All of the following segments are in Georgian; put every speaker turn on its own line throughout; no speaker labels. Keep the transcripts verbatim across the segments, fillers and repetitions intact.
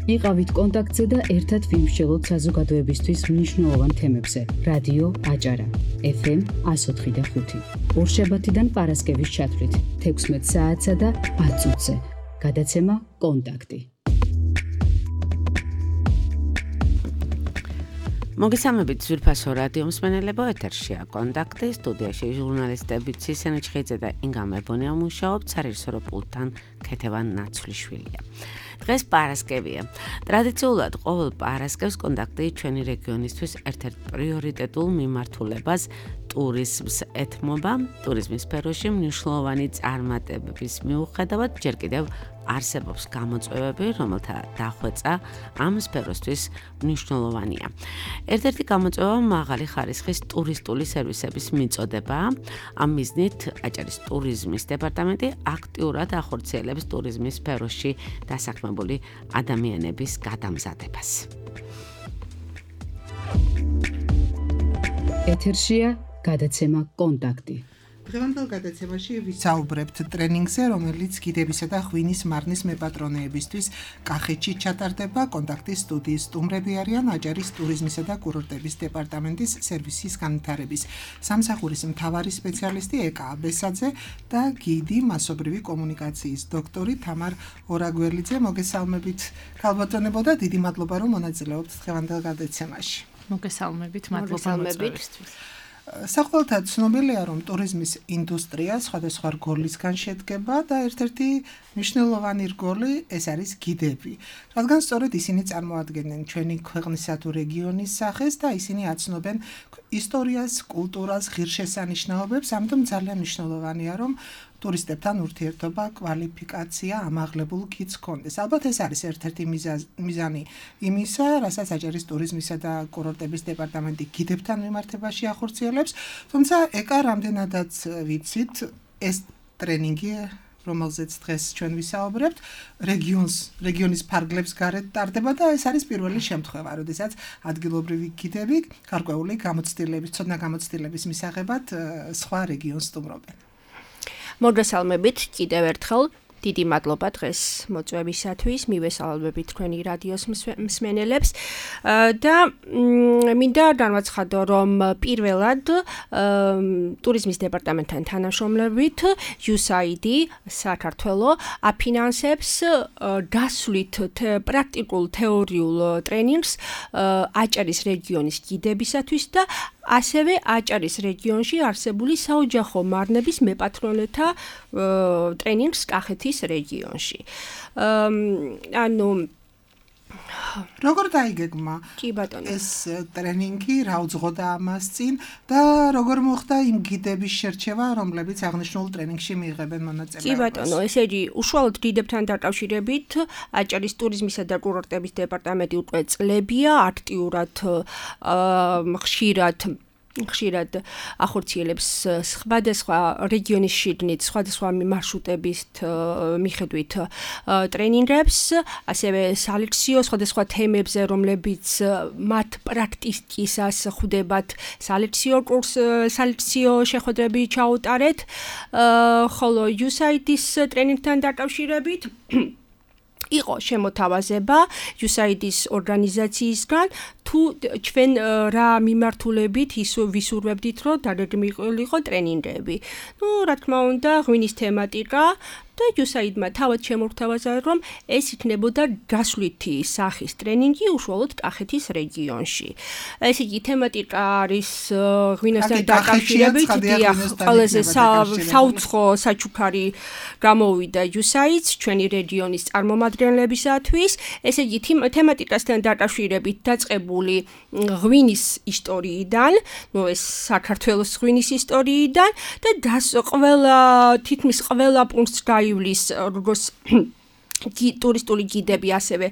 იყავით კონტაქტზე და ერთად ვიმსჯელოთ საზოგადოებისთვის მნიშვნელოვან თემებზე. რადიო აჭარა, ეფ ემ εκατო ოთხი და ხუთი. ორშაბათიდან პარასკევის ჩათვლით, თექვსმეტ საათსა და ათ წუთზე. გადაცემა კონტაქტი.
მოგესალმებით ძვირფასო რადიო მსმენელებო, ეთერშია კონტაქტი, სტუდიაში ჟურნალისტები ცისენ ჩხიძე და ინგა მებონია მუშაობთ, სარეჟისორო პულტთან ქეთევან ნაცვლიშვილია. დღეს პარასკევია. ტრადიციულად ყოველ პარასკევს კონტაქტი ჩვენი რეგიონისთვის ერთ-ერთ პრიორიტეტულ მიმართულებას ტურიზმს ეთმობა. ტურიზმის სფეროში მნიშვნელოვანი წარმატებების მიუხედავად ჯერ კიდევ არსებობს გამოწვევები, რომელთა დახვეწა ამ სფეროსთვის მნიშვნელოვანია. ერთ-ერთი გამოწვევა მაღალი ხარისხის ტურისტული სერვისების მიწოდებაა. ამ მიზნით აჭარის ტურიზმის დეპარტამენტი აქტიურად ახორციელებს ტურიზმის სფეროში დასაქმებული ადამიანების გადამზადებას.
ეთერშია გადაცემა კონტაქტი.
დღევანდელ გადაცემაში ვისაუბრებთ ტრენინგზე, რომელიც გიდებისა და ღვინის მარნის მეპატრონეებისთვის კახეთში ჩატარდება. კონტაქტის სტუდიის სტუმრები არიან აჭარის ტურიზმისა და კურორტების დეპარტამენტის სერვისის განვითარების სამსახურის მთავარი სპეციალისტი ეკა აბესაძე და გიდი მასობრივი კომუნიკაციის დოქტორი თამარ ორაგველიძე. მოგესალმებით ქალბატონებო და დიდი მადლობა რომ მონაწილეობთ დღევანდელ გადაცემაში.
მოგესალმებით, მადლობა მოწვევისთვის.
საყოველთაოდ ცნობილია, რომ ტურიზმის ინდუსტრია სხვადასხვა რგოლისგან შედგება და ერთ-ერთი მნიშვნელოვანი რგოლი ეს არის გიდები. რადგან სწორედ ისინი წარმოადგენენ ჩვენი ქვეყნისა თუ რეგიონის სახეს და ისინი აცნობენ ისტორიას, კულტურას, ღირსშესანიშნაობებს, ამიტომ ძალიან მნიშვნელოვანია, რომ ტურისტებთან ურთიერთობა, კვალიფიკაცია ამაღლებულ გიდს ჰქონდეს. ალბათ ეს არის ერთ-ერთი მიზანი იმისა, რასაც აჭარის ტურიზმისა და კურორტების დეპარტამენტი გიდებთან მიმართებაში ახორციელებს. თუმცა ეკა რამდენადაც ვიცით, ეს ტრენინგი, რომელზეც დღეს ჩვენ ვისაუბრებთ, რეგიონს, რეგიონის ფარგლებს გარეთ ტარდება და ეს არის პირველი შემთხვევა, როდესაც ადგილობრივი გიდები გარკვეული გამოცდილების, ცოდნა გამოცდილების მისაღებად სხვა რეგიონს სტუმრობენ.
მოგესალმებით კიდევ ერთხელ. დიდი მადლობა დღეს მოწვევისათვის, მივესალმებით თქვენი რადიოს მსმენელებს და მინდა განვაცხადო, რომ პირველად ტურიზმის დეპარტამენტთან თანამშრომლობით იუ ეს აი დი საქართველო აფინანსებს გასვლით პრაქტიკულ თეორიულ ტრენინგს აჭარის რეგიონის გიდებისათვის და ასევე აჭარის რეგიონში არსებული საოჯახო მარნების მეპატრონეთა ტრენინგს კახეთის რეგიონში. ანუ
როგორ დაიგეგმა
კი ბატონო
ეს ტრენინგი, რა უძღოდა ამას წინ და როგორ მოხდა იმ გიდების შერჩევა, რომლებიც აღნიშნულ ტრენინგში მიიღებენ მონაწილეობას?
კი ბატონო, ესე იგი, უშუალოდ გიდებთან დაკავშირებით აჭარის ტურიზმისა და კურორტების დეპარტამენტი უკვე წლებია აქტიურად ხშირად ხშირად ახორციელებს სხვადასხვა რეგიონის შიგნით, სხვადასხვა მარშრუტების მიხედვით ტრენინგებს, ასევე სალექციო სხვადასხვა თემებზე, რომლებიც მათ პრაქტიკისას ხვდებათ, სალექციო კურს, სალექციო შეხვედრები ჩაუტარეთ, ხოლო იუ ეს აი დის ტრენინგთან დაკავშირებით იყო შემოთავაზება იუ ეს აი დის ორგანიზაციისგან, თუ ჩვენ რა მიმართულებით ვისურვებდით, რომ დაგეგმილიყო ტრენინგები. ნუ, რა თქმა უნდა, ღვინის თემატიკა და იუ ეს აი დი-მა თავად შემოგვთავაზა, რომ ეს იქნებოდა გასვლითი სახის ტრენინგი უშუალოდ კახეთის რეგიონში. ესე იგი, თემატიკა არის ღვინოსთან დაკავშირებით, დიახ, ყველაზე საუცხო საჩუქარი გამოვიდა იუ ეს აი დი-ს ჩვენი რეგიონის წარმომადგენლებისათვის. ესე იგი, თემატიკასთან დაკავშირებით დაწყებული ღვინის ისტორიიდან, ნუ ეს საქართველოს ღვინის ისტორიიდან და ყველა თითქმის ყველა პუნქტს გაივლის როგორც ტურისტული გიდები, ასევე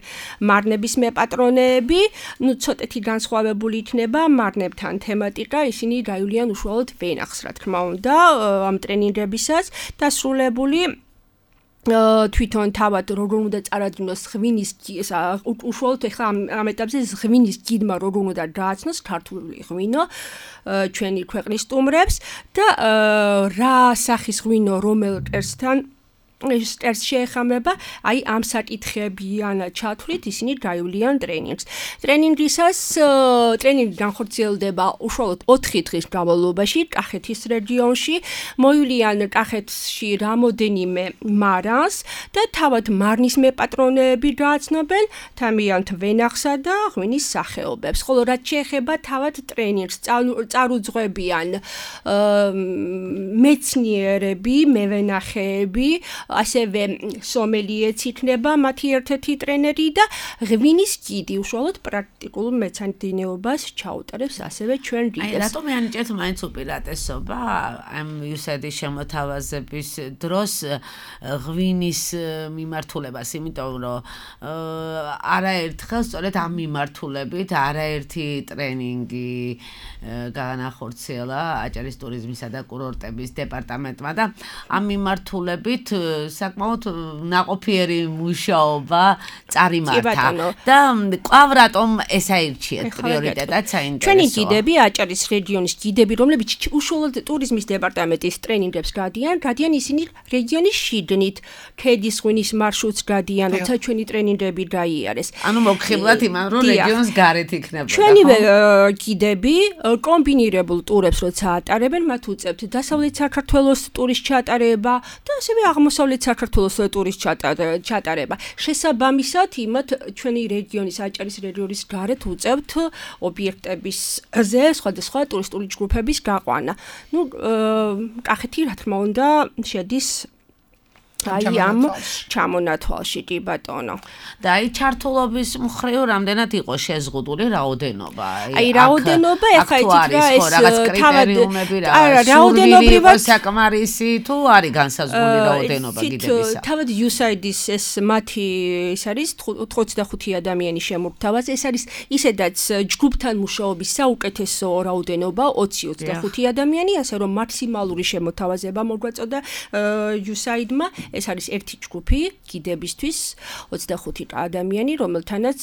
მარნების მეპატრონეები, ნუ ცოტათი განსხვავებული იქნება მარნებთან თემატიკა, ისინი გაივლიან უშუალოდ ვენახს, რა თქმა უნდა, ამ ტრენინგებისას დასრულებული თვითონ თავად როგორ უნდა წარადგინოს ღვინის უშუალოდ ეხლა ამ ეტაპზე ღვინის გიდმა როგორ უნდა გააცნოს ქართული ღვინო ჩვენი ქვეყნის სტუმრებს და რა სახის ღვინო რომელ კერძთან სტერს შეეხამება, აი ამ საკითხებიანად ჩათვლით ისინი გაივლიან ტრენინგს. ტრენინგისას ტრენინგი განხორციელდება უშუალოდ ოთხი დღის განმავლობაში კახეთის რეგიონში, მოივლიან კახეთში რამოდენიმე მარანს და თავად მარნის მეპატრონეები გააცნობენ თამიანთ ვენახსა და ღვინის სახეობებს. ხოლო რაც შეეხება თავად ტრენინგს წარუძღვებიან მეცნიერები, მევენახეები, ასევე სომელიეც იქნება მათი ერთ-ერთი ტრენერი და ღვინის გიდი უშუალოდ პრაქტიკულ მეცადინეობას ჩაუტარებს ასევე ჩვენ რიგებს.
აი რატომ მიანიჭეთ მაინც უპირატესობა ამ იუსადის შემოთავაზების დროს ღვინის მიმართულებას, იმიტომ რომ არაერთხელ სწორედ ამ მიმართულებით არაერთი ტრენინგი განახორციელა აჭარის ტურიზმისა და კურორტების დეპარტამენტმა და ამ მიმართულებით საკმაოდ ნაყოფიერი მუშაობა წარიმართა და კვლავ რატომ ეს აირჩიეთ პრიორიტეტად საინტერესოა.
ჩვენი გიდები აჭარის რეგიონის გიდები, რომლებიც უშუალოდ ტურიზმის დეპარტამენტის ტრენინგებს გადიან, გადიან ისინი რეგიონის შიგნით, ქედის ღვინის მარშრუტს გადიან, როცა ჩვენი ტრენინგები გაიარეს.
ანუ მოგხიბლათ იმან, რომ რეგიონს გარეთ იქნებოდა.
ჩვენივე გიდები კომბინირებულ ტურებს როცა ატარებენ, მათ უწევთ დასავლეთ საქართველოს ტურის ჩატარება და ასევე აღმოსავლეთ საქართველოს ტურის ჩატარება. შესაბამისად, იმათ ჩვენი რეგიონის აჭარის რეგიონის გარეთ უწევთ ობიექტებისზე სხვადასხვა ტურისტული ჯგუფების გაყვანა. ნუ კახეთი რა თქმა უნდა შედის აი ამ ჩამონათვალში კი ბატონო.
და აი ჩართულობის მხრივ რამდენად იყო შეზღუდული რაოდენობა?
აი რაოდენობა ეხა იცით რა ეს
თავად რაოდენობრივად საკმარისი თუ არის განსაზღვრული რაოდენობა გიდებისა?
თავად იუსაიდის ეს მათი ეს არის ოცდახუთი ადამიანი შემურთავაზ, ეს არის ისედაც ჯგუფთან მუშაობის საუკეთესო რაოდენობა ოცი ოცდახუთი ადამიანი, ასე რომ მაქსიმალური შემოთავაზება მოგვაწოდა იუსაიდმა. ეს არის ერთი ჯგუფი გიდებისთვის ოცდახუთი ადამიანი, რომელთანაც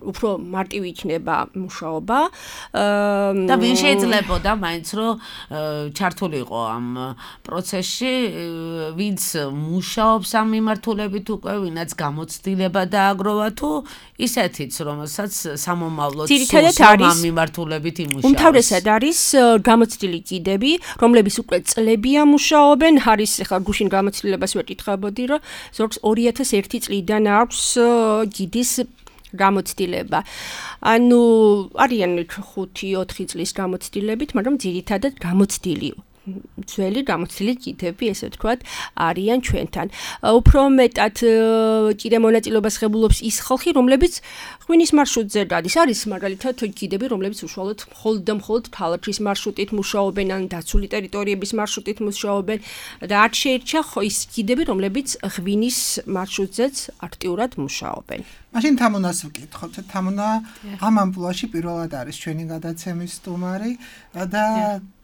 უფრო მარტივი იქნება მუშაობა.
და ვინ შეიძლებოდა მაინც რომ ჩართულიყო ამ პროცესში, ვინც მუშაობს ამ მიმართულებით უკვე, ვინაც გამოცდილება დააგროვა თუ ისეთიც, რომელსაც სამომავლოდ სულს ამ მიმართულებით იმუშაოს.
უმთავრესად არის გამოცდილი გიდები, რომლებიც უკვე წლებია მუშაობენ, არის ახლა გუშინ გამოცდილებას ვეკითხებოდი, რომ ზოგს ორი ათას ერთი წლიდან აქვს გიდის გამოცდილება. ანუ არიან ხუთი ოთხი წლის გამოცდილებით, მაგრამ ძირითადად გამოცდილი ძველი გამოცდილი გიდები, ესე ვთქვათ, არიან ჩვენთან. უფრო მეტად კიდე მონაწილეობას ღებულობს ის ხალხი, რომლებიც ღვინის მარშრუტზე გადის. არის მაგალითად გიდები, რომლებიც უშუალოდ მხოლოდ და მხოლოდ ქალაქის მარშრუტით მუშაობენ, ან დაცული ტერიტორიების მარშრუტით მუშაობენ და არ შეირჩა ის გიდები, რომლებიც ღვინის მარშრუტზეც აქტიურად მუშაობენ.
მაშინ თამონას ვკითხოთ. თამონა ამ ამპლუაში პირველად არის ჩვენი გადაცემის სტუმარი და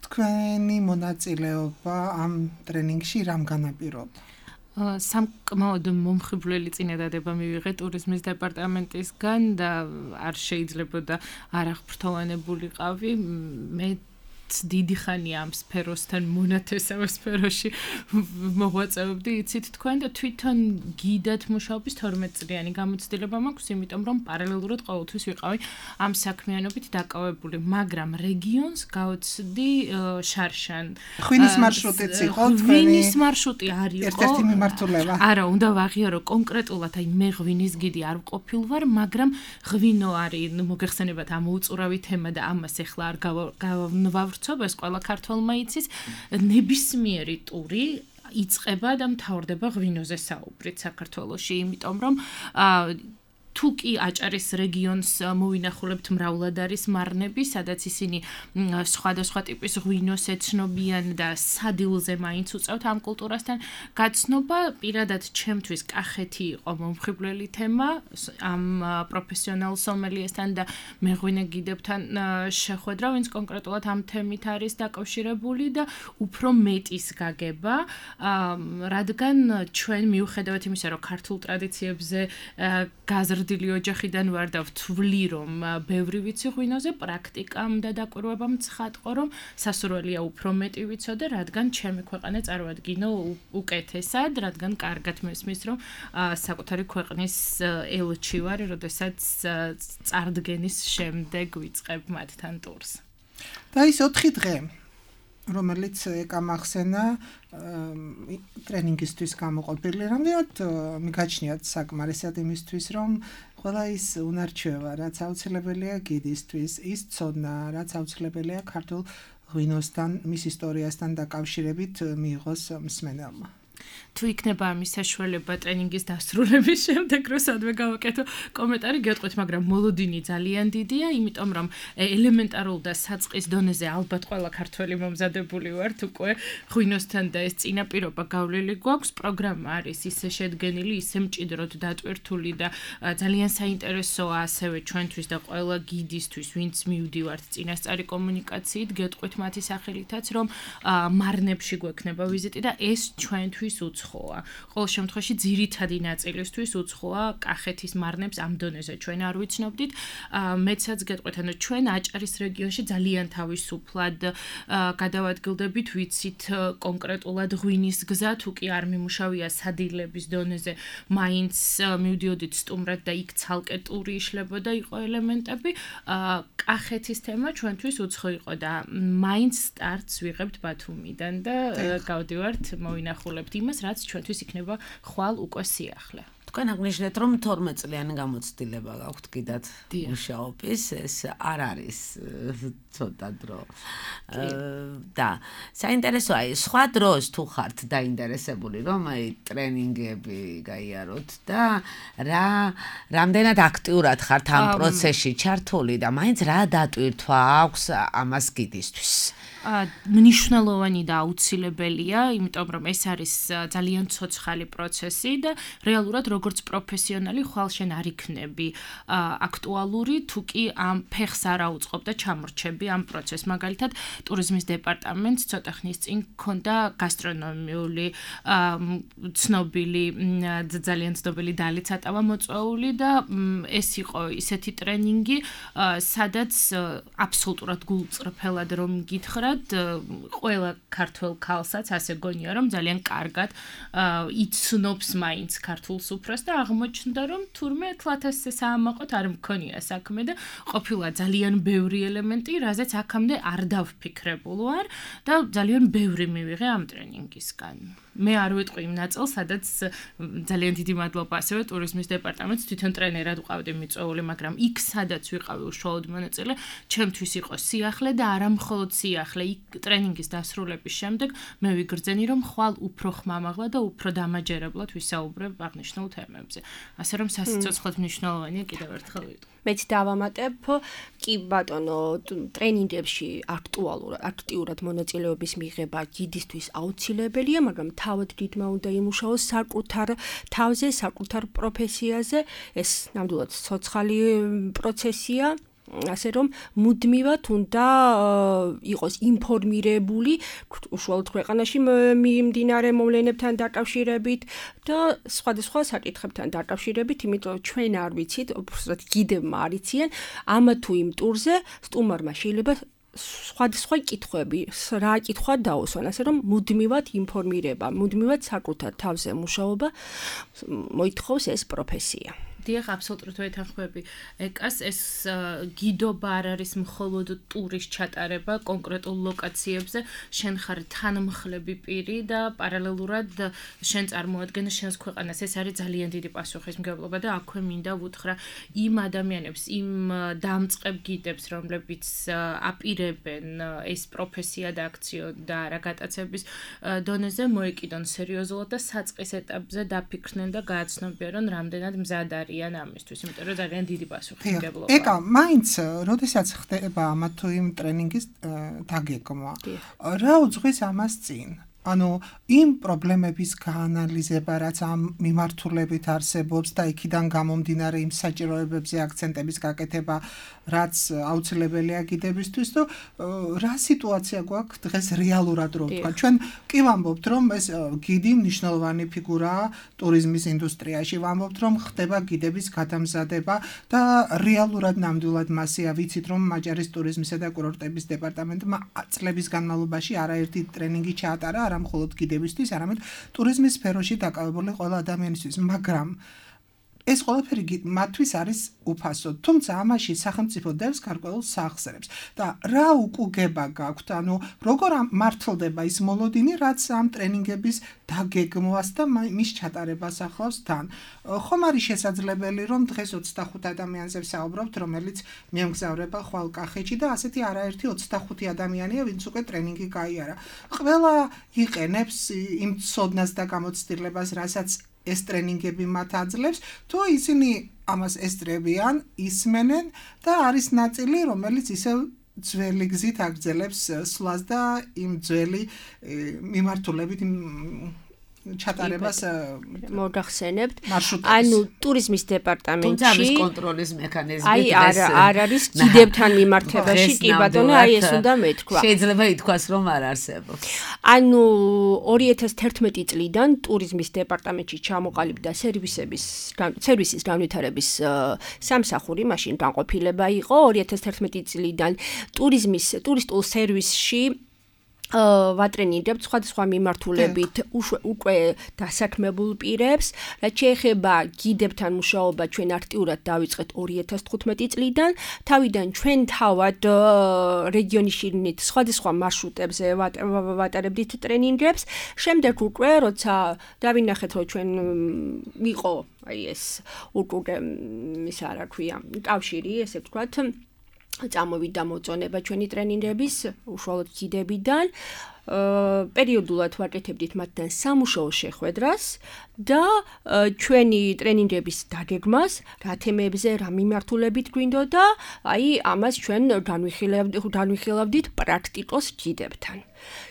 თქვენი მონაწილეობა ამ ტრენინგში რამ განაპირობა?
სამკმაოდ მომხიბვლელი წინადადება მივიღე ტურიზმის დეპარტამენტისგან და არ შეიძლებოდა არ აღფრთოვანებულიყავი. მე დიდი ხანია ამ სფეროსთან მონათესავე სფეროში მოღვაწეობდი, იცით თქვენ და თვითონ გიდად მუშაობის თორმეტ წლიანი გამოცდილება მაქვს, იმიტომ რომ პარალელურად ყოველთვის ვიყავი ამ საქმიანობით დაკავებული, მაგრამ რეგიონს გავცდი შარშან.
ღვინის მარშრუტიც იყო თქვენი?
ღვინის მარშრუტი არ იყო.
ერთ-ერთი მიმართულება.
არა, უნდა ვაღიარო კონკრეტულად, აი მე ღვინის გიდი არ ვყოფილ ვარ, მაგრამ ღვინო არის, მოგეხსენებათ ამ უწურავი თემა და ამას ახლა არ გავ ეს ყველა ქართველმა იცის, ნებისმიერი ტური იწყება და მთავრდება ღვინოზე საუბრით საქართველოში, იმიტომ რომ თუ კი აჭარის რეგიონს მოვინახულებთ, მრავლად არის მარნები, სადაც ისინი სხვადასხვა ტიპის ღვინოს ეცნობიან და სადილზე მაინც უწევთ ამ კულტურასთან გაცნობა. პირადად ჩემთვის კახეთი იყო მომხიბვლელი თემა ამ პროფესიონალ სომელიესთან და მეღვინე გიდებთან შეხვედრა, ვინც კონკრეტულად ამ თემით არის დაკავშირებული და უფრო მეტის გაგება, რადგან ჩვენ მიუხედავად იმისა, რომ ქართულ ტრადიციებზე გაზრდა მარტივადილი ოჯახიდან ვარ და ვთვლი რომ ბევრი ვიცი ღვინოზე, პრაქტიკამ და დაკვირვებამ ცხადყო რომ სასურველია უფრო მეტი ვიცოდე, რადგან ჩემი ქვეყანა წარვადგინო უკეთესად, რადგან კარგად მესმის რომ საკუთარი ქვეყნის ელჩი ვარ, როდესაც წარდგენის შემდეგ ვიწყებ მათთან ტურს.
და ის ოთხი დღე რომელიც ეკამახსენა ტრენინგისთვის გამოყოფილი, რამდენად მიგაჩნიათ საკმარისად იმისთვის, რომ ყველა ის უნარჩვევა, რაც აუცილებელია გიდისთვის, ის ცოდნა, რაც აუცილებელია ქართულ ღვინოსთან, მის ისტორიასთან დაკავშირებით მიიღოს მსმენელმა.
თუ იქნება ამის საშუალება ტრენინგის დასრულების შემდეგ, როდესაც გავაკეთო კომენტარი გეტყვით, მაგრამ მოლოდინი ძალიან დიდია, იმიტომ რომ ელემენტარულ და საწყის დონეზე ალბათ ყველა ქართველი მომზადებული ვართ უკვე ღვინოსთან და ეს წინაპირობა გავლილი გვაქვს. პროგრამა არის ისე შედგენილი, ისე მჭიდროდ დატვირთული და ძალიან საინტერესოა ასევე ჩვენთვის და ყველა გიდისთვის, ვინც მივდივართ წინასწარი კომუნიკაციით, გეტყვით მათი სახელითაც, რომ მარნებში გვექნება ვიზიტი და ეს ჩვენთვის უცხოა. ყოველ შემთხვევაში ძირითადი ნაწილისთვის უცხოა კახეთის მარნებს ამ დონეზე ჩვენ არ ვიცნობდით. მეცაც გეტყვით, ანუ ჩვენ აჭარის რეგიონში ძალიან თავისუფლად გადავადგილდებით, ვიცით კონკრეტულად ღვინის გზა, თუ კი არ მიმუშავია სადილების დონეზე, მაინც მივდიოდით სტუმრად და იქ ცალკე ტური იშლებოდა, იყო ელემენტები. კახეთის თემა ჩვენთვის უცხო იყო და მაინც სტარტს ვიღებთ ბათუმიდან და გავდივართ, მოვინახულებთ იმას, რაც ჩვენთვის იქნება ხვალ უკვე სიახლე.
თქვენ აღნიშნეთ, რომ თორმეტ წლიანი გამოცდილება გაქვთ კიდათ მუშაობის, ეს არ არის ცოტა დრო. და საინტერესოა, სხვა დროს თუ ხართ დაინტერესებული, რომ აი ტრენინგები გაიაროთ და რა რამდენად აქტიურად ხართ ამ პროცესში ჩართული და მაინც რა დატვირთვა აქვს ამას გიდისთვის?
მნიშვნელოვანი და აუცილებელია, იმიტომ რომ ეს არის ძალიან ცოცხალი პროცესი და რეალურად როგორც პროფესიონალი ხვალ შენ არ იქნები აქტუალური, თუ კი ამ ფეხს არ აუწყობ და ჩამორჩები ამ პროცესს. მაგალითად, ტურიზმის დეპარტამენტს ცოტა ხნის წინ ჰქონდა გასტრონომიული ცნობილი ძალიან ცნობილი დალიც ატავა მოწვეული და ეს იყო ისეთი ტრენინგი, სადაც აბსოლუტურად გულწრფელად რომ გითხრა ყველა ქართველ ქალსაც ასე გონია რომ ძალიან კარგად იცნობს მაინც ქართულს უფროს და აღმოჩნდა რომ თურმე ათასზე საამაყოთ არ მქონია საქმე და ყოფილა ძალიან ბევრი ელემენტი, რაზეც აქამდე არ დავფიქრებულ ვარ და ძალიან ბევრი მივიღე ამ ტრენინგისგან. მე არ ვიტყვი იმ ნაწილს, სადაც ძალიან დიდი მადლობა ასევე ტურიზმის დეპარტამენტს, თვითონ ტრენერად ვყავდი მიწვეული, მაგრამ იქ სადაც ვიყავი უშუალოდ მონაწილე, ჩემთვის იყო სიახლე და არა მხოლოდ სიახლე, იქ ტრენინგის დასრულების შემდეგ მე ვიგრძენი, რომ ხვალ უფრო ხმამაღლა და უფრო დამაჯერებლად ვისაუბრებ აღნიშნულ თემებზე. ასე რომ სასიცოცხლოდ მნიშვნელოვანია კიდევ ერთხელ ვიტყვი.
მეც დავამატებ, კი ბატონო, ტრენინგებში აქტუალურად, აქტიურად მონაწილეობის მიღება გიდისთვის აუცილებელია, მაგრამ თავად დიდმა უნდა იმუშაოს საკუთარ თავზე, საკუთარ პროფესიაზე. ეს ნამდვილად ცოცხალი პროცესია. ასე რომ მუდმივად უნდა იყოს ინფორმირებული უშუალოდ ქვეყანაში მიმდინარე მოვლენებთან დაკავშირებით და სხვადასხვა საკითხებთან დაკავშირებით, იმიტომ რომ ჩვენ არ ვიცით, უბრალოდ გიდებმა არ იციან, ამა თუ იმ ტურზე სტუმარმა შეიძლება სხვადასხვა კითხვები, რა კითხვა დაუსვან, ასე რომ მუდმივად ინფორმირება, მუდმივად საკუთარ თავზე მუშაობა მოითხოვს ეს პროფესია.
დიახ, აბსოლუტურად ვეთანხმები ეკას, ეს გიდობა არ არის მხოლოდ ტურის ჩატარება კონკრეტულ ლოკაციებზე, შენ ხარ თანმხლები პირი და პარალელურად შენ წარმოადგენ შენს ქვეყანას. ეს არის ძალიან დიდი პასუხისმგებლობა და აქვე მინდა ვუთხრა იმ ადამიანებს, იმ დამწყებ გიდებს, რომლებიც აპირებენ ეს პროფესია და აქციო და რა გატაცების დონეზე მოეკიდონ სერიოზულად და საწყის ეტაპზე დაფიქრდნენ და გააცნობიერონ რამდენად მზად არიან ამისთვის, იმიტომ რომ ძალიან დიდი პასუხისმგებლობაა.
ეკა, მაინც, როდესაც ხდება ამა თუ იმ ტრენინგის დაგეგმვა, რა უძღვის ამას წინ? ანუ იმ პრობლემების გაანალიზება, რაც ამ მიმართულებით არსებობს და იქიდან გამომდინარე იმ საჭიროებებზე აქცენტების გაკეთება, რაც აუცილებელია გიდებისთვის, თუ რა სიტუაცია გვაქვს დღეს რეალურად რო ვთქვა. ჩვენ კი ვამბობთ, რომ ეს გიდი მნიშვნელოვანი ფიგურაა ტურიზმის ინდუსტრიაში, ვამბობთ, რომ ხდება გიდების გადამზადება და რეალურად ნამდვილად მასია ვიცით, რომ მაჯარის ტურიზმისა და კურორტების დეპარტამენტმა წლების განმავლობაში არაერთი ტრენინგი ჩაატარა, არა მხოლოდ გიდებისთვის, არამედ ტურიზმის სფეროში დაკავებული ყველა ადამიანისთვის, მაგრამ ეს ყველაფერი მათთვის არის უფასო, თუმცა ამაში სახელმწიფო დევს გარკვეულ სახსრებს და რა უკუგება გაქვთ, ანუ როგორ მართლდება ის მოლოდინი, რაც ამ ტრენინგების დაგეგმვას და მის ჩატარებას ახლავს თან. ხომ არის შესაძლებელი, რომ დღეს ოცდახუთ ადამიანზე ვსაუბრობთ, რომელიც მიემგზავრება ხვალ კახეთში და ასეთი არაერთი ოცდახუთი ადამიანია, ვინც უკვე ტრენინგი გაიარა. ყველა იყენებს იმ ცოდნას და გამოცდილებას, რასაც ეს ტრენინგები მათ აძლევს, თუ ისინი ამას ესწრებიან, ისმენენ და არის ნაწილი, რომელიც ისევ ძველი გზით აგრძელებს სვლას და იმ ძველი მიმართულებით ჩატარებას
მოგახსენებთ. ანუ ტურიზმის დეპარტამენტში
თუმცა ამის კონტროლის მექანიზმი
აი არ არ არის გიდებთან მიმართებაში, კი ბატონო, აი ეს უნდა მეთქვა.
შეიძლება ითქვას, რომ არ არსებობს.
ანუ ორი ათას თერთმეტი წლიდან ტურიზმის დეპარტამენტში ჩამოყალიბდა სერვისების სერვისის განვითარების სამსახური, მაშინ განყოფილება იყო ორი ათას თერთმეტი წლიდან ტურიზმის ტურისტულ სერვისში ვატრენირებთ სხვადასხვა მიმართულებით უკვე დასაქმებულ პირებს, რაც შეეხება გიდებთან მუშაობა ჩვენ აქტიურად დავიწყეთ ორი ათას თხუთმეტი წლიდან, თავიდან ჩვენ თავად რეგიონის შიგნით სხვადასხვა მარშრუტებზე ვატარებდით ტრენინგებს, შემდეგ უკვე როცა დავინახეთ, რომ ჩვენ იყო აი ეს უკვე ის რა ქვია, კავშირი, ესე ვთქვათ, წამოვიდა მოწონება ჩვენი ტრენინგების უშუალოდ გიდებიდან, პერიოდულად ვაკეთებდით მათთან სამუშაო შეხვედრას და ჩვენი ტრენინგების დაგეგმას, რა თემებზე, რა მიმართულებით გვინდოდა, აი ამას ჩვენ განვიხილავდით პრაქტიკოს გიდებთან.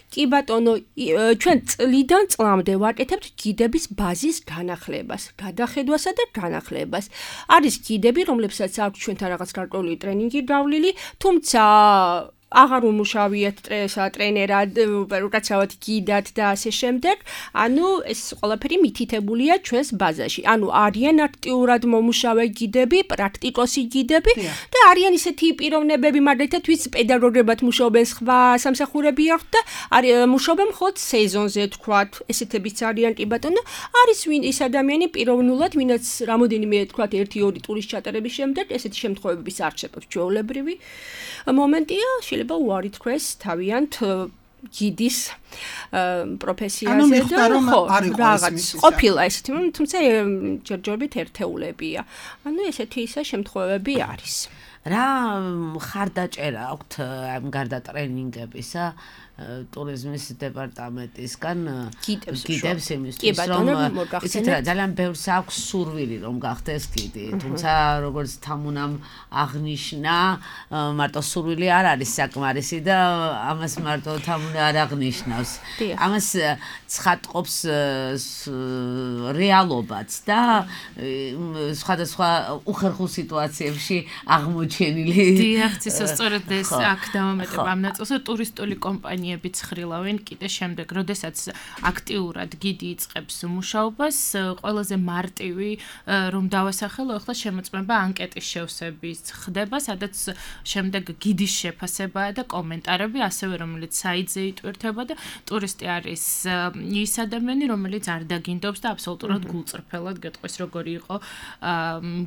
კი ბატონო, ჩვენ წლიდან წლამდე ვაკეთებთ გიდების ბაზის განახლებას, გადახედვასა და განახლებას. არის გიდები, რომლებსაც აქვს ჩვენთან რაღაც გარკვეული ტრენინგი გავლილი, თუმცა აღარ უმუშავიათ ტრენერად, უკაცრავად გიდად და ასე შემდეგ. ანუ ეს ყველაფერი მითითებულია ჩვენს ბაზაში. ანუ არიან აქტიურად მომუშავე გიდები, პრაქტიკოსი გიდები და არიან ისეთი პიროვნებები, მაგალითად, ვინც პედაგოგებად მუშაობენ სხვა სამსახურები აქვთ და მუშაობენ მხოლოდ სეზონზე, თქვათ, ესეთებიც არიან, კი ბატონო. არის ვინ ის ადამიანი პიროვნულად, ვინაც რამოდენიმე, თქვათ, ერთი ორი ტურის ჩატარების შემდეგ ესეთი შემთხვევების არსებობს ჩვეულებრივი მომენტია, შეიძლება უარი თქვეს თავიანთ გიდის პროფესიაზე და ხო, რაღაც ყოფილა ესეთი, თუმცა ჯერჯერობით ერთეულებია. ანუ ესეთი ისა შემთხვევები არის.
რა ხარდაჭერა აქვთ ამ გარდა ტრენინგებისა ტურიზმის დეპარტამენტისგან გიდებს იმისთვის, რომ იცით რა, ძალიან ბევრს აქვს სურვილი, რომ გახდეს გიდი, თუმცა როგორც თამუნამ აღნიშნა, მარტო სურვილი არ არის საკმარისი და ამას მარტო თამუნა არ აღნიშნავს. ამას ცხადყოფს რეალობაც და სხვადასხვა უხერხულ სიტუაციებში აღმოჩენილი.
დიახ, ცისო სწორედ ეს აქ დავამეტებ ამ ნაწილს, ტურისტული კომპანია ცხრილავენ კიდე შემდეგ, როდესაც აქტიურად გიდი იწყებს მუშაობას, ყველაზე მარტივი რომ დავასახელო, ახლა შემოწმება ანკეტის შევსების ხდება, სადაც შემდეგ გიდის შეფასებაა და კომენტარები, ასევე რომელიც საიტზე იტვირთება და ტურისტი არის ის ადამიანი, რომელიც არ დაგინდობს და აბსოლუტურად გულწრფელად გეტყვის როგორი იყო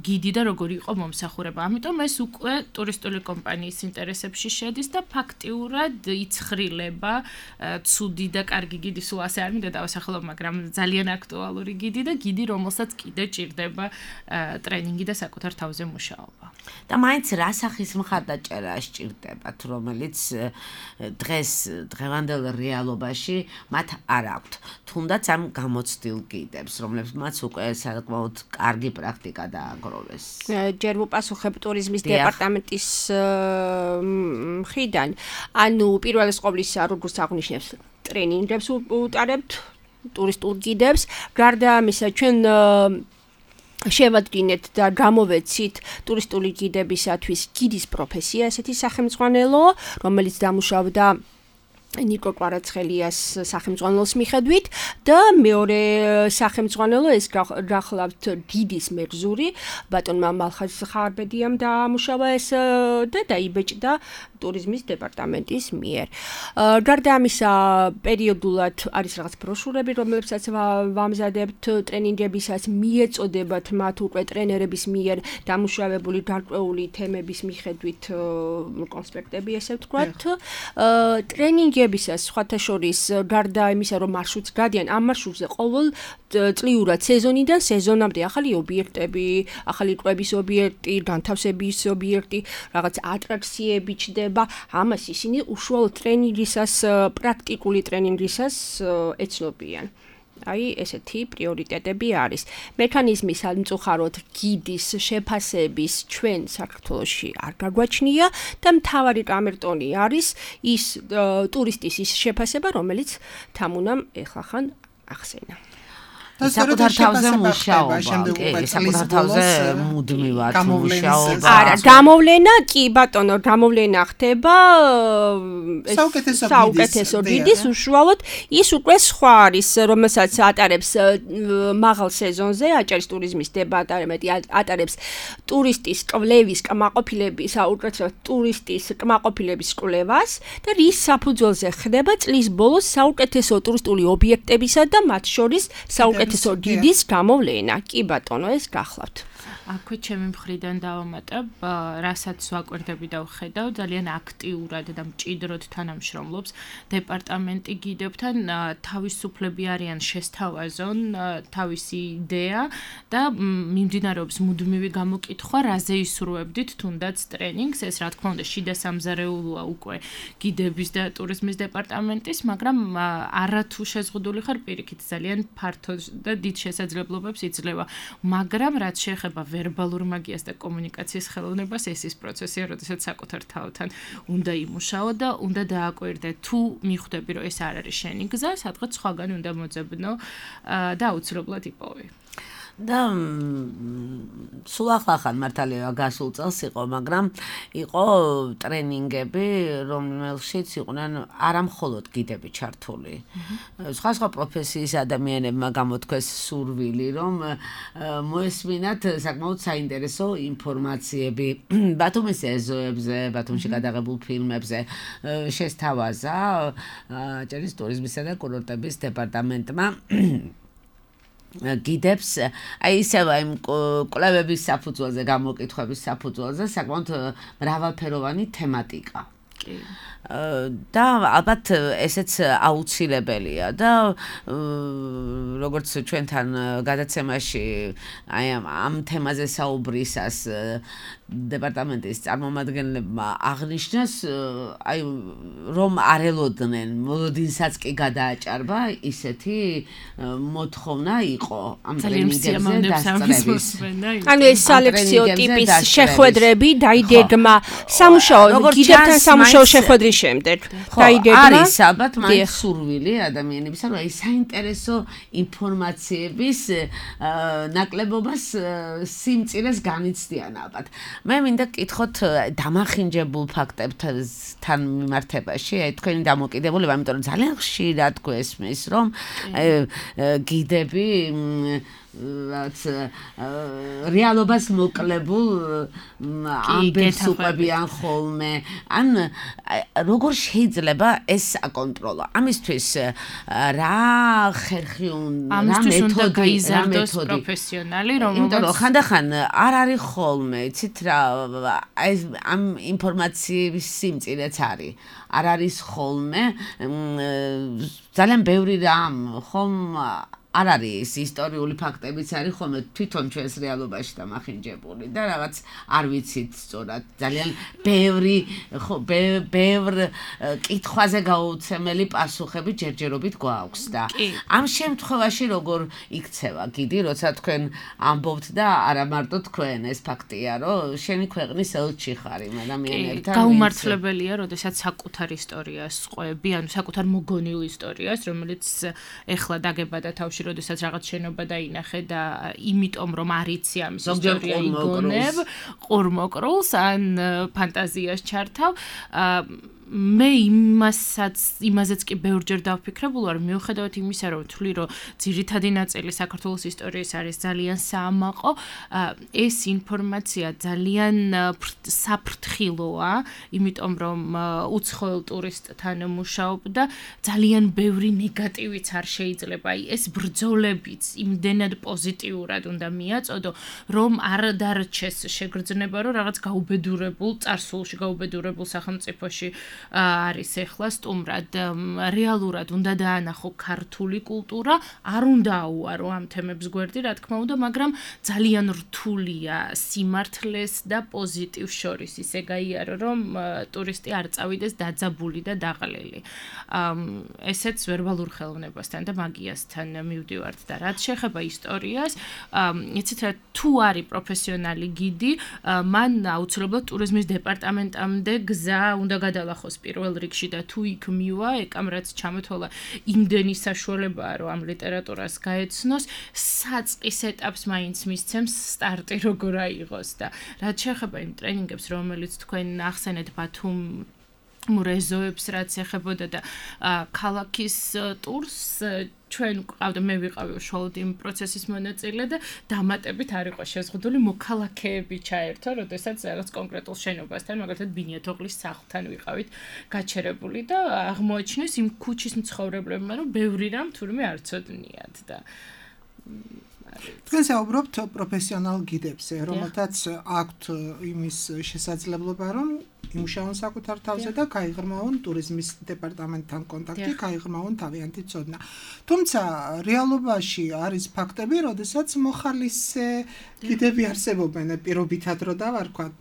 გიდი და როგორი იყო მომსახურება. ამიტომ ეს უკვე ტურისტული კომპანიის ინტერესებში შედის და ფაქტიურად იცხრილება ცუდი და კარგი გიდი სულ ასე არ მინდა დავასახელო, მაგრამ ძალიან აქტუალური გიდი და გიდი, რომელსაც კიდე ჭირდება ტრენინგი და საკუთარ თავზე მუშაობა.
და მაინც რა სახის მხარდაჭერა სჭირდებათ, რომელიც დღეს დღევანდელ რეალობაში მათ არ აქვთ, თუნდაც ამ გამოცდილ გიდებს, რომლებსაც უკვე საკმაოდ კარგი პრაქტიკა დააგროვეს.
ჯერ ვუპასუხებ ტურიზმის დეპარტამენტის მხრიდან. ანუ პირველი ყოვლისა, როგორც აღნიშნებს, ტრენინგებს უტარებთ ტურისტულ გიდებს. გარდა ამისა, ჩვენ შევადგინეთ და გამოვეცით ტურისტული გიდებისათვის გიდის პროფესია, ესეთი სახელმძღვანელო, რომელიც დამუშავდა ნიკო კვარაცხელიას სახელმძღვანელოს მიხედვით და მეორე სახელმძღვანელო ეს გახლავთ გიდის მერზური ბატონმა მალხაზ ხარბედიამ დაამუშავა ეს და დაიბეჭდა ტურიზმის დეპარტამენტის მიერ. გარდა ამისა, პერიოდულად არის რაღაც ბროშურები, რომლებსაც ვამზადებთ ტრენინგებისას, მიეწოდებათ მათ უკვე ტრენერების მიერ დამუშავებული გარკვეული თემების მიხედვით კონსპექტები, ესე ვთქვათ. ტრენინგებისას სხვათა შორის გარდა იმისა, რომ მარშრუტს გადიან, ამ მარშრუტზე ყოველ წლიურად სეზონიდან სეზონამდე ახალი ობიექტები, ახალი კვების ობიექტი, განთავსების ობიექტი, რაღაც ატრაქციები ჩდება. ამას ისინი უშუალოდ ტრენინგისას, პრაქტიკული ტრენინგისას ეცნობიან. აი, ესეთი პრიორიტეტები არის. მექანიზმი სამწუხაროდ გიდის შეფასების ჩვენ საქართველოში არ გაგვაჩნია და მთავარი კამერტონი არის ის ტურისტის ის შეფასება, რომელიც თამუნამ ეხლახან ახსენა.
საკუთარ თავზე მუშაობა, კი, საკუთარ თავზე მუდმივად მუშაობა.
არა, გამოვლენა, კი ბატონო, გამოვლენა ხდება
საუკეთესო
გიდის უშუალოდ ის უკვე სხვა არის, რომელსაც ატარებს მაღალ სეზონზე, აჭარის ტურიზმის დეპარტამენტი ატარებს ტურისტის კვლევის, კმაყოფილების, უკეთესად ტურისტის კმაყოფილების კვლევას და რის საფუძველზე ხდება წლის ბოლოს საუკეთესო ტურისტული ობიექტებისა და მათ შორის საუკეთესო ესო გიდის გამოვლენა. კი ბატონო, ეს გახლავთ.
აქვე ჩემი მხრიდან დავამატებ, რასაც ვაკვირდები და ვხედავ, ძალიან აქტიურად და მჭიდროდ თანამშრომლობს დეპარტამენტი გიდებთან, თავისუფლები არიან შესთავაზონ თავისი იდეა და მიმდინარეობს მუდმივი გამოკითხვა, რაზე ისურვებდით თუნდაც ტრენინგს, ეს რა თქმა უნდა შიდა სამზარეულოა უკვე გიდების და ტურიზმის დეპარტამენტის, მაგრამ არათუ შეზღუდული ხარ პირიქით ძალიან ფართო და დიდ შესაძლებლობებს იძლევა, მაგრამ რაც შეეხება ვერბალურ მაგიას და კომუნიკაციის ხელოვნებას, ეს ის პროცესია, როდესაც საკუთარ თავთან უნდა იმუშაო და უნდა დააკვირდე, თუ მიხვდები, რომ ეს არ არის შენი გზა, სადღაც სხვაგან უნდა მოძებნო და აუცილებლად იპოვე.
და სულ ახლახან მართალია გასულ წელს იყო, მაგრამ იყო ტრენინგები, რომელშიც იყვნენ არა მხოლოდ გიდები ჩართული. სხვა სხვა პროფესიის ადამიანებმა გამოთქვეს სურვილი, რომ მოესმინათ საკმაოდ საინტერესო ინფორმაციები ბათუმის ეზოებზე, ბათუმში გადაღებულ ფილმებზე შესთავაზა აჭარის ტურიზმისა და კურორტების დეპარტამენტმა გიდებს, აი ისევ იმ კვლევების საფუძველზე, გამოკითხვების საფუძველზე საკმაოდ მრავალფეროვანი თემატიკა. და ალბათ ესეც აუცილებელია და როგორც ჩვენთან გადაცემაში აი ამ თემაზე საუბრისას დეპარტამენტის წარმომადგენლებმა აღნიშნეს, აი რომ არ ელოდნენ მოლოდინსაც კი გადააჭარბა, ისეთი მოთხოვნა იყო ამ ტრენინგებზე დასწრების.
ანუ ეს სალექციო ტიპის შეხვედრები დაიდეგმა სამუშაო გიდებთან სამუშაო შეხვედრის შემდეგ. დაიდეგმა
არის ალბათ მაინც სურვილი ადამიანებისა, რომ აი საინტერესო ინფორმაციების ნაკლებობას სიმწირეს განიცდიან ალბათ. მე მინდა გკითხოთ დამახინჯებულ ფაქტებთან მიმართებაში, აი თქვენი დამოკიდებულება, იმიტომ რომ ძალიან ხშირად გვესმის, რომ გიდები რაც რეალობას მოკლებულ ამბებს უყვებიან ხოლმე. ან როგორ შეიძლება ეს აკონტროლო? ამისთვის რა ხერხი უნდა, რა მეთოდი
გაიზარდოს პროფესიონალი,
რომელიც იმიტომ რომ ხანდახან არ არის ხოლმე, იცით რა, აი ამ ინფორმაციის სიმწირეც არის. არ არის ხოლმე ძალიან ბევრი რამ ხომ არ არის ისტორიული ფაქტებიც არის ხოლმე თვითონ ჩვენს რეალობაში დამახინჯებული და რაღაც არ ვიცით სწორად ძალიან ბევრი ხო ბევრ კითხვაზე გაუცემელი პასუხები ჯერჯერობით გვაქვს და ამ შემთხვევაში როგორ იქცევა გიდი როცა თქვენ ამბობთ და არა მარტო თქვენ ეს ფაქტია რომ შენი ქვეყნის ელჩი ხარ იმ ადამიანებთან
გაუმართლებელია როდესაც საკუთარ ისტორიას ყვები ანუ საკუთარ მოგონილ ისტორიას რომელიც ეხლა დაგებადა თავში როდესაც რაღაც შენობა დაინახე და იმიტომ რომ არ იცი ამის ისტორია იგონებ ყურმოკრულს ან ფანტაზიას ჩართავ მე იმასაც იმაზეც კი ბევრჯერ დავფიქრებულ ვარ მიუხედავად იმისა რომ თვლი რომ ძირითადი ნაწილი საქართველოს ისტორიის არის ძალიან საამაყო ეს ინფორმაცია ძალიან საფრთხილოა იმიტომ რომ უცხოელ ტურისტთან მუშაობ და ძალიან ბევრი ნეგატივიც არ შეიძლება აი ეს ბრძოლებიც იმდენად პოზიტიურად უნდა მიაწოდო რომ არ დარჩეს შეგრძნება რომ რაღაც გაუბედურებულ წარსულში გაუბედურებულ სახელმწიფოში არის ეხლა სტუმრად რეალურად უნდა დაანახო ქართული კულტურა არ უნდა აუარო ამ თემებს გვერდი რა თქმა უნდა მაგრამ ძალიან რთულია სიმართლეს და პოზიტივს შორის ისე გაიარო რომ ტურისტი არ წავიდეს დაძაბული და დაყლილი ესეც ვერბალურ ხელოვნებასთან და მაგიასთან მივდივართ და რაც შეეხება ისტორიას იცით რა თუ არის პროფესიონალი გიდი მან აუცილებლად ტურიზმის დეპარტამენტამდე გზა უნდა გადალახოს პირველ რიგში და თუ იქ მივა ეკამ რაც ჩამოთვალა იმდენი საშუალებაა რომ ამ ლიტერატურას გაეცნოს საწყის ეტაპს მაინც მისცემს სტარტი როგორ აიღოს და რაც შეეხება იმ ტრენინგებს რომელიც თქვენ ახსენეთ ბათუმ მურეზოებს რაც ეხებოდა და ქალაქის ტურს ჩვენ ყავდა მე ვიყავი უშუალოდ იმ პროცესის მონაწილე და დამატებით არ იყო შეზღუდული მოქალაქეები ჩაერთო, როდესაც რაღაც კონკრეტულ შენობასთან, მაგალითად ბინიათოღლის სახლთან ვიყავით გაჩერებული და აღმოაჩინეს იმ ქუჩის მცხოვრებლებმა, რომ ბევრი რამ თურმე არ ცოდნიათ და
თქვენ საუბრობთ პროფესიონალ გიდებზე, რომელთაც აქვთ იმის შესაძლებლობა, რომ იმუშაონ საკუთარ თავზე და გაიღრმავონ ტურიზმის დეპარტამენტთან კონტაქტი, გაიღრმავონ თავიანთი ცოდნა. თუმცა რეალობაში არის ფაქტები, როდესაც მოხალისე გიდები არსებობენ, პირობითად რო დავარქვათ,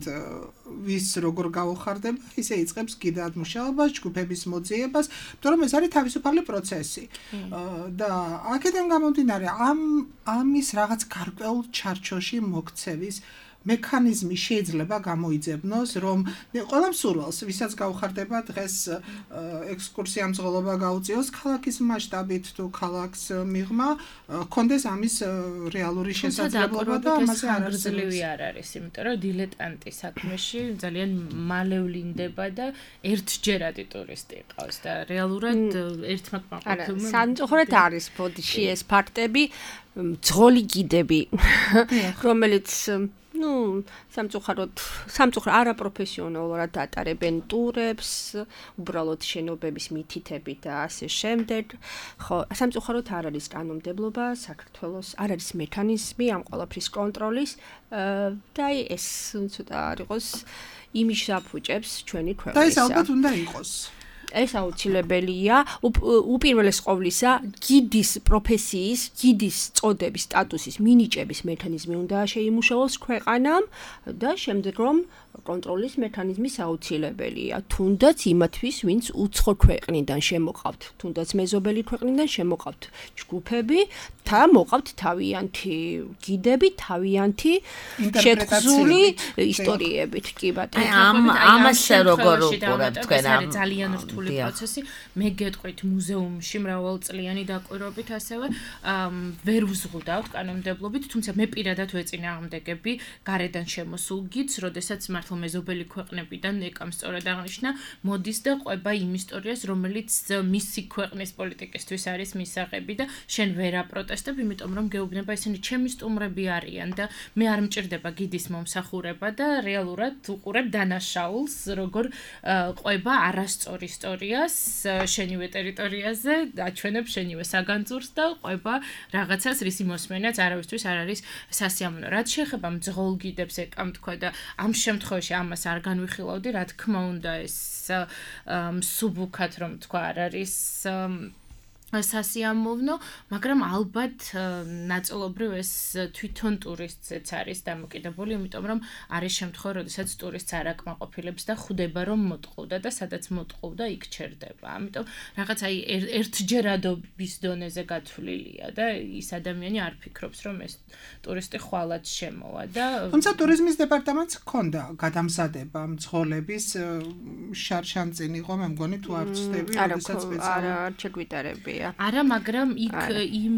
ვის როგორ გაუხარდება, ისე იწყებს გიდად მუშაობას, ჯგუფების მოძიებას, იმიტომ რომ ეს არის თავისუფალი პროცესი. და აქედან გამომდინარე, ამ ამის რაღაც გარკვეულ ჩარჩოში მოქცევის მექანიზმი შეიძლება გამოიძებნოს, რომ ყველა მსურველს, ვისაც გაუხარდება დღეს ექსკურსია მძღოლობა გაუწიოს ქალაქის მასშტაბით თუ ქალაქს მიღმა, კონდეს ამის რეალური შესაძლებლობა და ამაზე არ
არძლივი არ არის, იმიტომ რომ დილეტანტი საქმეში ძალიან მალე ვლინდება და ერთჯერადი ტურისტი ყავს და რეალურად ერთმა ყოფილმა
სამწუხაროდ არის ბოდიში ეს ფაქტები, მძღოლი გიდები, რომელიც ну, სამწუხაროდ, სამწუხაროდ არაპროფესიონალურად ატარებენ ტურებს, უბრალოდ შენობების მითითებით და ასე შემდეგ. ხო, სამწუხაროდ არ არის კანონმდებლობა საქართველოს, არ არის მექანიზმი ამ ყველაფრის კონტროლის და ეს ცოტა არ იყოს იმის აფუჭებს ჩვენი ქვეყნისა.
და ეს ალბათ უნდა იყოს.
ეს აუცილებელია უპირველეს ყოვლისა გიდის პროფესიის, გიდის წოდების სტატუსის მინიჭების მექანიზმი უნდა შეიმუშაოს ქვეყანამ და შემდეგ რომ კონტროლის მექანიზმი აუცილებელია. თუნდაც იმათთვის, ვინც უცხო ქვეყნიდან შემოყავთ, თუნდაც მეზობელი ქვეყნიდან შემოყავთ ჯგუფები და მოყავთ თავიანთი გიდები, თავიანთი შეგრძული ისტორიებით, კი ბატონო.
ამ ამასე როგორ უყურებთ თქვენ ამ
ძალიან რთული პროცესი. მე გეტყვით მუზეუმში მრავალწლიანი დაკვირვებით ასევე ვერ ვზღუდავთ კანონმდებლობით, თუმცა მე პირადად ვეწინააღმდეგები გარედან შემოსულ გიდს, როდესაც მართლა მეზობელი ქვეყნებიდან ეკამ სწორად აღნიშნა, მოდის და ყვება იმ ისტორიას, რომელიც მისი ქვეყნის პოლიტიკისთვის არის მისაღები და შენ ვერ აპროტესტებ, იმიტომ რომ გეუბნება ისინი ჩემი სტუმრები არიან და მე არ მჭირდება გიდის მომსახურება და რეალურად უყურებ დანაშაულს, როგორ ყვება არასწორ ისტორიას შენივე ტერიტორიაზე, აჩვენებ შენივე საგანძურს და ყვება რაღაცას, რისი მოსმენაც არავისთვის არ არის სასიამოვნო. რაც შეეხება მძღოლ გიდებს ეკამ თქვა და ამ შემთხვევაში ამას არ განვიხილავდი, რა თქმა უნდა ეს მსუბუქად რომ თქვა არ არის სასიამოვნო, მაგრამ ალბათ ნაწილობრივ ეს თვითონ ტურისტზეც არის დამოკიდებული, იმიტომ რომ არის შემთხვევა, როდესაც ტურისტს არ აკმაყოფილებს და ხვდება რომ მოტყუდა და სადაც მოტყუდა იქ ჩერდება. ამიტომ რაღაც აი ერთჯერადობის დონეზე გათვლილია და ის ადამიანი არ ფიქრობს რომ ეს ტურისტი ხვალაც შემოვა და
თუმცა ტურიზმის დეპარტამენტს ჰქონდა გადამზადება მძღოლების შარშანწინ იყო, მე მგონი თუ არ ვცდები, როდესაც სპეციალურად
არ შეგვიტარებია.
არა, მაგრამ იქ იმ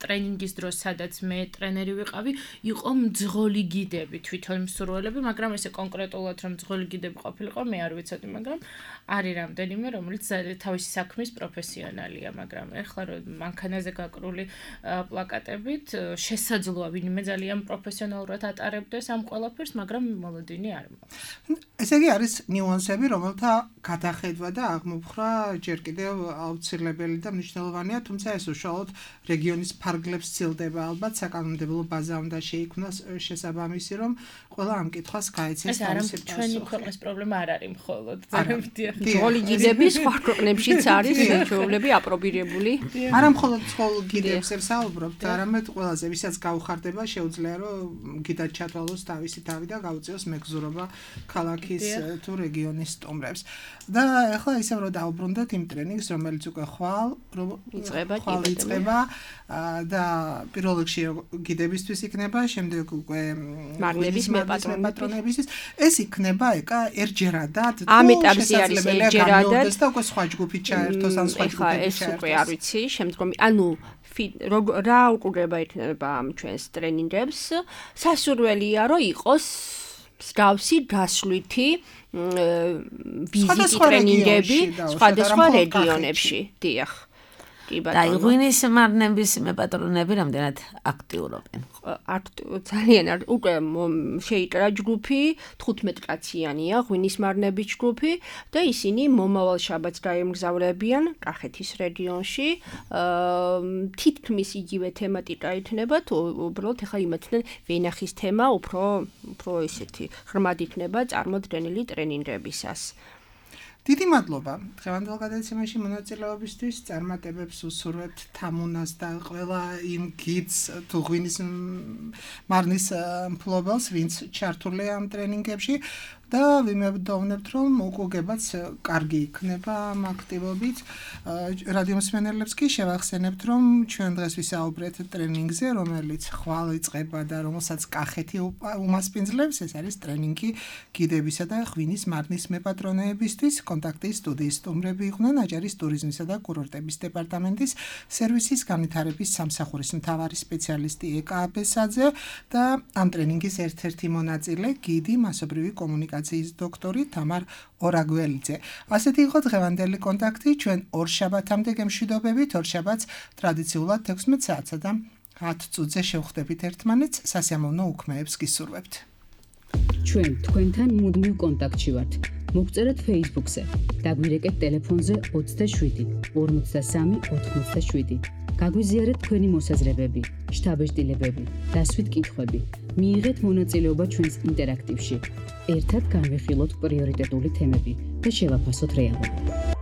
ტრენინგის დროს, სადაც მე ტრენერი ვიყავი, იყო მძღოლი გიდები, თვითონ მსურველები, მაგრამ ესე კონკრეტულად რომ მძღოლი გიდები ყოფილიყო, მე არ ვიცოდი, მაგრამ არის რამდენიმე, რომელიც თავისი საქმის პროფესიონალია, მაგრამ ეხლა რომ მანქანაზე გაკრული პლაკატებით შესაძლოა ვინმე ძალიან პროფესიონალურად ატარებდეს ამ ყველაფერს, მაგრამ მოლოდინი არ მაქვს.
ესე იგი არის ნიუანსები, რომელთა გადახედვა და აღმოფხრა ჯერ კიდევ აუცილებელი და მნიშვნელოვანია, თუმცა ეს უშუალოდ რეგიონის ფარგლებს ცილდება, ალბათ საკანონმდებლო ბაზა უნდა შეიქმნას შესაბამისი, რომ ყველა ამ კითხვას გაეცეს თავისი პასუხი.
ჩვენი ქვეყნის პრობლემა არ არის მხოლოდ ზარებდია.
მძღოლი გიდები სხვა ქვეყნებშიც არის ჩვეულებრივ აპრობირებული.
არა მხოლოდ მძღოლ გიდებს ვსაუბრობთ, არამედ ყველაზე ვისაც გაუხარდება, შეუძლია რომ გიდად ჩათვალოს თავისი თავი და გაუწიოს მეგზურობა ქალაქის თუ რეგიონის სტუმრებს. და ეხლა ისევ რომ დაუბრუნდეთ იმ ტრენინგს, რომელიც უკვე ხვალ იწყება და პირველ რიგში გიდებისთვის იქნება, შემდეგ უკვე
მარნების მეპატრონებისთვის.
ეს იქნება ეკა ერჯერადად თუ
ამ ეტაპზე არის ერჯერადად
და უკვე სხვა ჯგუფი ჩაერთოს ან სხვა ჯგუფი
ეს უკვე არ ვიცი, შემდგომი ანუ რა უყურება იქნება ამ ჩვენს ტრენინგებს, სასურველია რომ იყოს მსგავსი გასვლითი ვიზიტი ტრენინგები სხვადასხვა რეგიონებში. დიახ.
და ღვინის მარნების მეპატრონები რამდენად აქტიურობენ?
ძალიან უკვე შეიჭრა ჯგუფი, თხუთმეტ კაციანია ღვინის მარნების ჯგუფი და ისინი მომავალ შაბათს გაემგზავრებიან კახეთის რეგიონში. თითქმის იგივე თემატიკა იქნება, თუ უბრალოდ ახლა იმათთან ვენახის თემა უფრო უფრო ესეთი ღრმად იქნება წარმოდგენილი ტრენინგებისას.
დიდი მადლობა დღევანდელ გადაცემაში მონაწილეობისთვის. წარმატებებს ვუსურვებთ თამუნას და ყველა იმ გიდს თუ ღვინის მარნის მფლობელს, ვინც ჩართულია ამ ტრენინგებში და ვიმედოვნებთ, რომ უკუგებაც კარგი იქნება ამ აქტივობით. რადიო მსმენელებს კი შევახსენებთ, რომ ჩვენ დღეს ვისაუბრეთ ტრენინგზე, რომელიც ხვალ იწყება და რომელსაც კახეთი უმასპინძლებს. ეს არის ტრენინგი გიდებისა და ღვინის მარნის მეპატრონეებისთვის. კონტაქტის სტუდიის სტუმრები იყვნენ აჭარის ტურიზმისა და კურორტების დეპარტამენტის სერვისის განვითარების სამსახურის მთავარი სპეციალისტი ეკა აბესაძე და ამ ტრენინგის ერთ-ერთი მონაწილე გიდი მასობრივი კომუნიკაციის დოქტორი თამარ ორაგველიძე. ასეთი იყო დღევანდელი კონტაქტი. ჩვენ ორ შაბათამდე გემშვიდობებით. ორ შაბათს ტრადიციულად თექვსმეტ საათსა და ათ წუთზე შევხვდებით ერთმანეთს. სასიამოვნო უქმეებს გისურვებთ.
ჩვენ თქვენთან მუდმივ კონტაქტში ვართ. მოგწერეთ Facebook-ზე, დაგვირეკეთ ტელეფონზე ოცდაშვიდი ორმოცდასამი ოთხმოცდაშვიდი. გაგვიზიარეთ თქვენი მოსაზრებები, შთაბეჭდილებები, დასვით კითხვები. მიიღეთ მონაწილეობა ჩვენს ინტერაქტივში. ერთად განვიხილოთ პრიორიტეტული თემები და შევაფასოთ რეალობა.